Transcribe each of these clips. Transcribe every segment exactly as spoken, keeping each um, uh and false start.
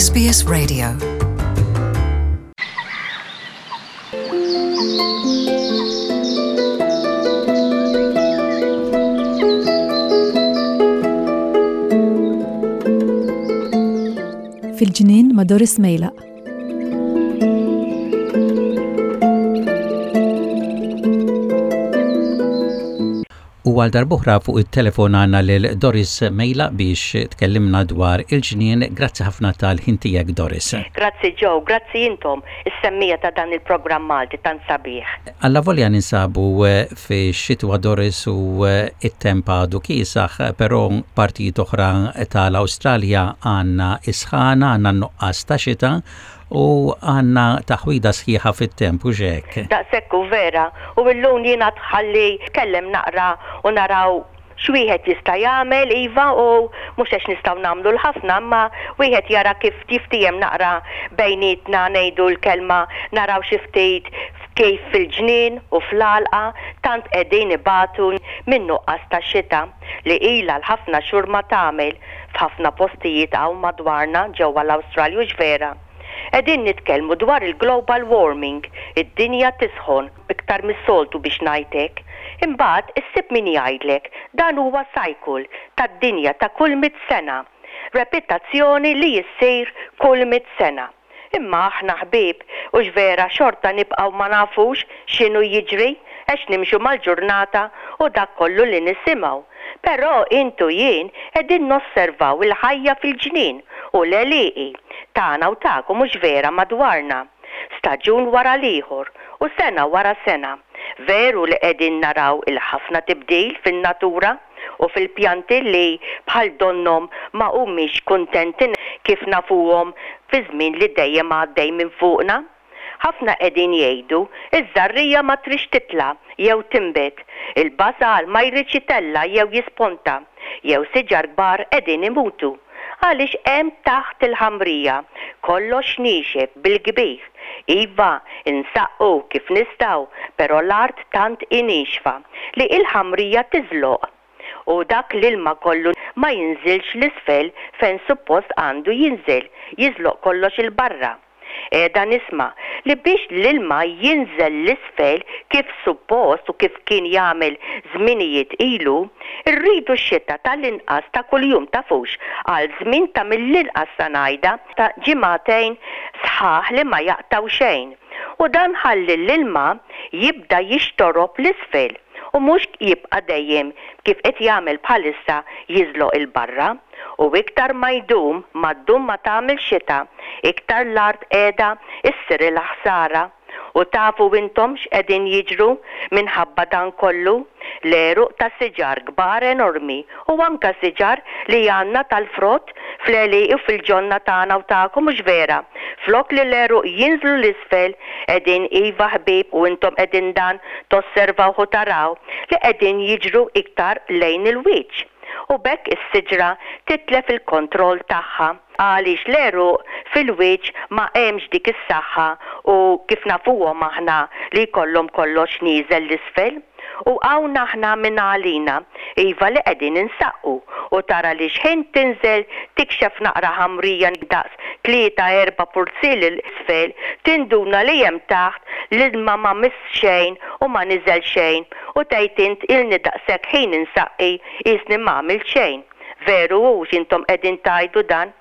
S B S Radio. Fil-ġnien ma' Doris Mejlaq. U għal darb'oħra fuq it-telefon għandna lil Doris Mejlaq biex tkellimna dwar il-ġnien. Grazzi ħafna tal-ħin tiegħek, Doris. Grazzi Joe, grazzi intom, is-semmiegħa ta' dan il-programm Malti tant sabiħ. Allavolja ninsabu eh, fi xitwa, Doris, u eh, it-temp għadu kiesaħ, però partijiet oħra tal-Awstralja għandna isħana, għandna nuqqas ta' xita u għandna taħwida sħiħa fit-temp u hekk. Daqshekk hu vera, u illum jiena tħalli kellem naqra u naraw x'wieħed jista' jagħmel, iva, u mhux għax nistgħu nagħmlu l-ħafna, imma wieħed jara kif jiftiehem naqra bejnietna, ngħidu l-kelma, naraw xi ftit kif fil-ġnien u fl-għalqa tant qegħdin ibatu minn nuqqas ta' xita li ilha l-ħafna xhur ma tagħmel f'ħafna postijiet hawn madwarna ġewwa l-Awstralja, vera. Qegħdin nitkellmu dwar il-global warming, id-dinja tisħon iktar mis-soltu biex ngħidlek. Imbagħad issib min jgħidlek dan huwa cycle tad-dinja ta' kull mit sena. Repetizzjoni li jissir kull mit sena. Imma aħna ħbieb u vera xorta nibqgħu ma nafux x'inhu jiġri għax nimxu mal-ġurnata u dak kollu li nisimgħu. Però intu jien qegħdin nosservaw il-ħajja fil-ġnien u l-għelieqi tagħna u tagħkom, mhux vera, madwarna. Staġun wara l-ieħor u sena wara sena. Veru li qegħdin naraw il-ħafna tibdil fin-natura u fil-pjanti li bħal donnom ma humiex kuntenti kif nafuhom fi żmien li dejjem għaddej minn fuqna. Ħafna qegħdin jgħidu iż-żarrija ma tridx titla' jew tinbet, il-basal ma jridx jitella' jew jisponta, jew siġar kbar qegħdin imutu. Għaliex hemm taħt il-ħamrija kollox niexef bil-kbir. Iva, insaqqu kif nistgħu, però l-art tant nixfa li il-ħamrija tiżloq. U dak l-ilma kollu ma jinżilx 'l isfel fejn suppost għandu jinżel, jiżloq kollox 'il barra. Qiegħda nisma' li biex l-ilma jinżel 'l isfel kif suppost u kif kien jagħmel żminijiet ilu, irridu x-xita tal-inqas ta' kuljum, tafux, għal żmien ta' mill-inqas sa ngħidha ta' ġimagħtejn sħaħ li ma jaqtaw xejn. U dan ħalli l-ilma jibda jixtorob 'l isfel u mhux jibqa' dejjem kif qed jagħmel bħalissa jiżloq 'il barra. U iktar ma jdum, ma ddum ma tagħmel xita, iktar l-art qiegħda issir il-ħsara. U tafu intom x'qegħdin jiġru minħabba dan kollu? L-għeruq ta' siġar kbar enormi u anka siġar li għandna tal-frott fl-għelieqi u fil-ġonna tagħna u tagħkom, mhux vera? Flok li l-għeruq jinżlu 'l isfel, qegħdin, iva ħbieb, u intom qegħdin dan tosservaw u taraw li qegħdin jiġru iktar lejn il-wiċċ. U b'hekk is-siġra titlef il-kontroll tagħha għaliex l-għeruq fil-wiċċ ma hemmx dik is-saħħa u kif nafuhom aħna li jkollhom kollox nieżel 'l isfel. U hawn aħna minn għalina, iva, li qegħdin insaqqu u tara li xħin tinżel tikxef naqra ħamrija daqs tlieta erba' purzieri 'l isfel, tinduna li hemm taħt l-ilma ma miss xejn u ma niżel xejn u tgħid int ilni daqshekk ħin insaqqi, qisni ma għamilt xejn. Veru hux intom qegħdin tgħidu dan?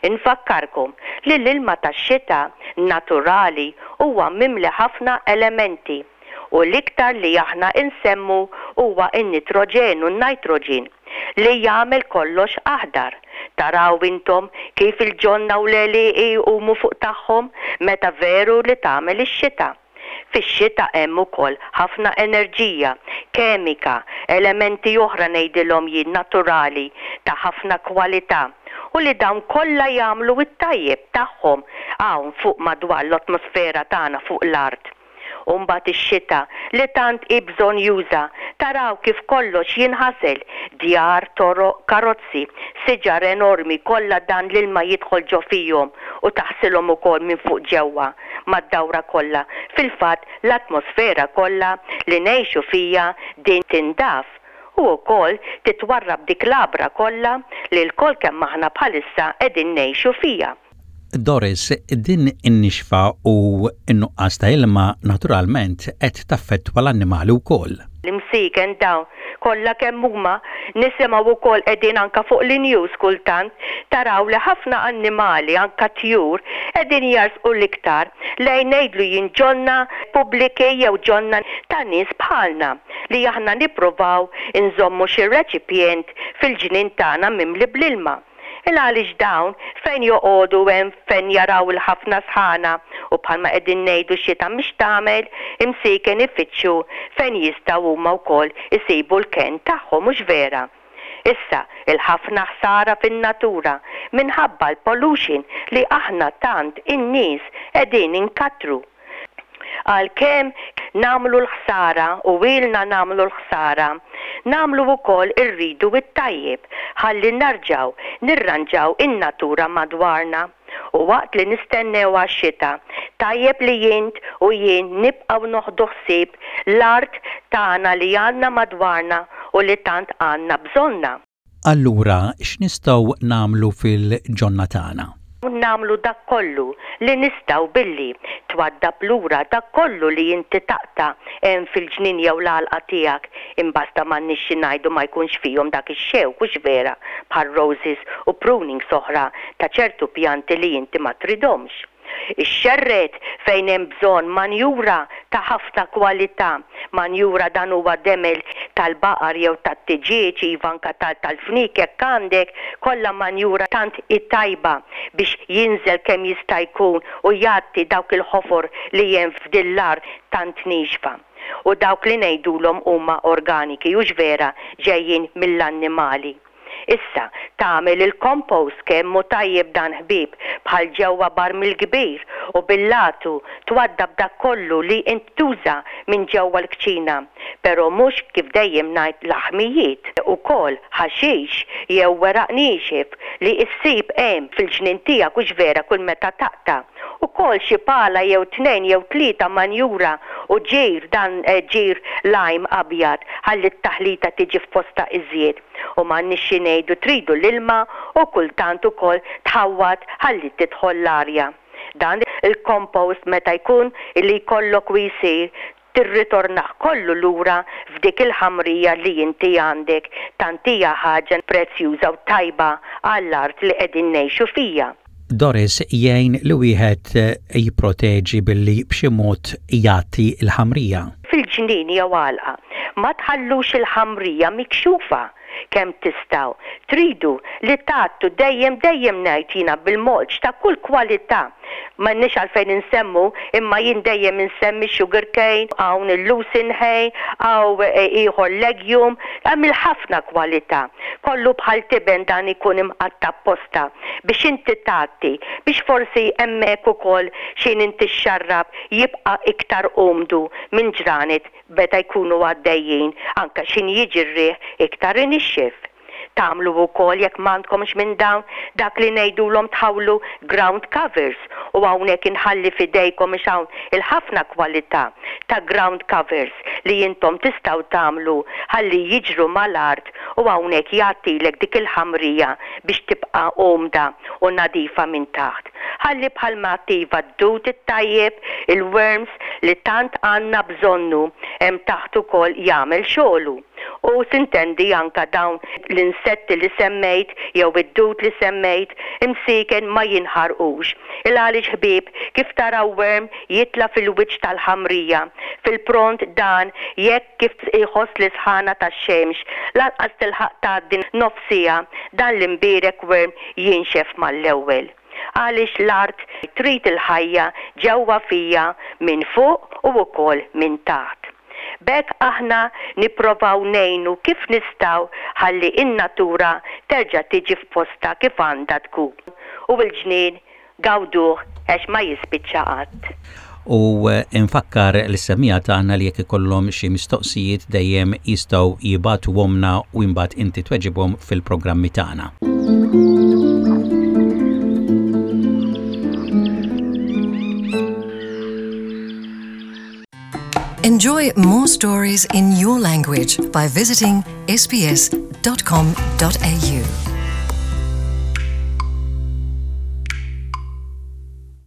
Infakkarkom li l-ilma tax-xita naturali huwa mimli ħafna elementi u l-iktar li aħna insemmu huwa n-nitroġenu, n-nitrogen, li jagħmel kollox aħdar. Taraw intom kif il-ġonna u l-għelieqi jqumu fuq tagħhom meta veru li tagħmel ix-xita. Fix-xita hemm ukoll ħafna enerġija, kemika, elementi oħra ngħidilhom jien naturali ta' ħafna kwalità u li dawn kollha jagħmlu t-tajjeb tagħhom hawn fuq madwar l-atmosfera tagħna fuq l-art. U mbagħad ix-xita li tant hi bżonnjuża, taraw kif kollox jinħasel, djar, toroq, karozzi, siġar enormi, kollha dan l-ilma jidħol ġo fihom u taħsilhom ukoll minn fuq ġewwa mad-dawra kollha. Fil-fatt l-atmosfera kollha li ngħixu fija din tindaf u wkoll titwarrab dik l-għabra kollha li lkoll kemm aħna bħalissa qegħdin ngħixu fija. Doris, din in-nixfa u n-nuqqas ta' ilma naturalment qed taffettwa l-annimali wkoll. L-imsiken dawn kollha kemm huma nisimgħu wkoll qegħdin anka fuq l-news kultant taraw li ħafna annimali, anka tjur, qegħdin jarsqu l-iktar lejn, ngħidlu jien, ġonna pubbliki jew ġonna ta' nies bħalna li aħna nippruvaw inżommu xi reċipjent fil-ġnien tagħna mimli bl-ilma. Il għaliex dawn fejn joqogħdu hemm fejn jaraw il-ħafna sħana u bħalma qegħdin ngħidu xita mhix tagħmel, imsiken ifittxu fejn jistgħu huma wkoll isibu l-ken tagħhom, mhux vera? Issa, il-ħafna ħsara fin-natura minħabba l-pollution li aħna tant in-nies qegħdin inkattru. Għalkemm nagħmlu l-ħsara u ilna nagħmlu l-ħsara, nagħmlu wkoll irridu it-tajjeb ħalli narġaw nirranġaw in-natura madwarna. U waqt li nistennew għax-xita, tajjeb li jint u jien nibqgħu noħdu ħsieb l-art tagħna li għandna madwarna u li tant għandna bżonna. Allura, x'nistgħu nagħmlu fil-ġonna tagħna? Nagħmlu dak kollu li nistgħu billi twaddab lura dak kollu li inti taqta' hemm fil-ġnien jew l-għalqa tiegħek, imbasta m'għandniex xi ngħidu ma jkunx fihom dak ix-xewk, hux vera, bħal roses u pruning oħra ta' ċertu pjanti li inti ma tridhomx. Ixxerred fejn hemm bżonn manjura ta' ħafna kwalità. Manjura dan huwa demel tal-baqar jew tat-tiġieġ, iva, anka tal-fnik jekk għandek, kollha manjura tant tajba biex jinżel kemm jista' jkun u jgħatti dawk il-ħofor li hemm f'din l-art tant nixfa. U dawk li ngħidulhom huma organiki, hux vera, ġejjin mill-annimali. Issa, tagħmel il-compost, kemm hu tajjeb dan, ħbieb, bħal ġewwa barmil kbir u bil-latu twaddab dak kollu li int tuża minn ġewwa l-kċina. Però mhux, kif dejjem ngħid, laħmijiet, ukoll ħaxix jew weraq niexef li issib hemm fil-ġnien tiegħek, hux vera, kull meta taqta'. Ukoll xi pala jew tnejn jew tlieta manjura u ġir, dan eh, ġir lime abjad, ħalli t-taħlita tiġi f'posta iżjed. U m'għandniex xi ngħidu, tridu l-ilma u kultant ukoll tħawwad ħalli tidħol l-arja. Dan il-compost meta jkun li jkollok u jsir, tirritornaħ kollu lura f'dik il-ħamrija li inti għandek, tant hija ħaġa prezzjuża u tajba għall-art li qegħdin ngħixu fija. Doris, jgħin li wieħed eh, jipproteġi billi b'xi mod jagħti l-ħamrija. Fil-ġnien jew għalqa, ma tħallux il-ħamrija mikxufa kemm tistgħu. Tridu li tgħattu dejjem, dejjem ngħid jiena, bil-mulch ta' kull kwalità. M'għandniex għalfejn insemmu, imma jien dejjem insemmi sugar cane, hawn il-lucerne hay, hawn e, ieħor legume, hemm il-ħafna kwalità. Kollu bħal tiben dan ikun imqatta' apposta biex inti tgħatti, biex forsi hemmhekk ukoll x'ħin inti xxarrab jibqa' iktar umdu minn ġranet meta jkunu għaddejjin, anka x'ħin jiġi r-riħ iktar inixxif. Tagħmlu wkoll, jekk m'għandkomx minn dawn, dak li ngħidulhom tħawlu ground covers, u hawnhekk inħalli f'idejkom biex hawn il-ħafna kwalità ta' ground covers li intom tistgħu tagħmlu ħalli jiġru mal-art u hawnhekk jagħtilek dik il-ħamrija biex tibqa' umda u nadifa minn taħt. Ħalli bħalma attiva d-dud it-tajjeb, il-worms li tant għandna bżonnu hemm taħt ukoll jagħmel xogħlu. U s'intendi anka dawn l-insetti li semmejt jew id-dud li semmejt, imsiken ma jinħarqux. Il għaliex, ħbieb, kif taraw worm jitla fil-wiċċ tal-ħamrija, fil-pront dan jekk kif iħoss l-isħana tax-xemx, lanqas tilħaq tgħaddi nofsija, dan l-imbierek worm jinxef mal-ewwel. Għaliex l-art trid il-ħajja ġewwa fija minn fuq u wkoll minn taħt. B'hekk aħna nipprovaw ngħinu kif nistgħu ħalli in-natura terġa' tiġi f'posta kif għandha tkun. U l-ġnien gawduh għax ma jispiċċa qatt. U eh, infakkar lis-semmiegħa tagħna li jekk ikollhom xi mistoqsijiet dejjem jistgħu jibagħtuhomlna u imbagħad inti tweġibhom fil-programmi tagħna. Enjoy more stories in your language by visiting S B S dot com dot A U.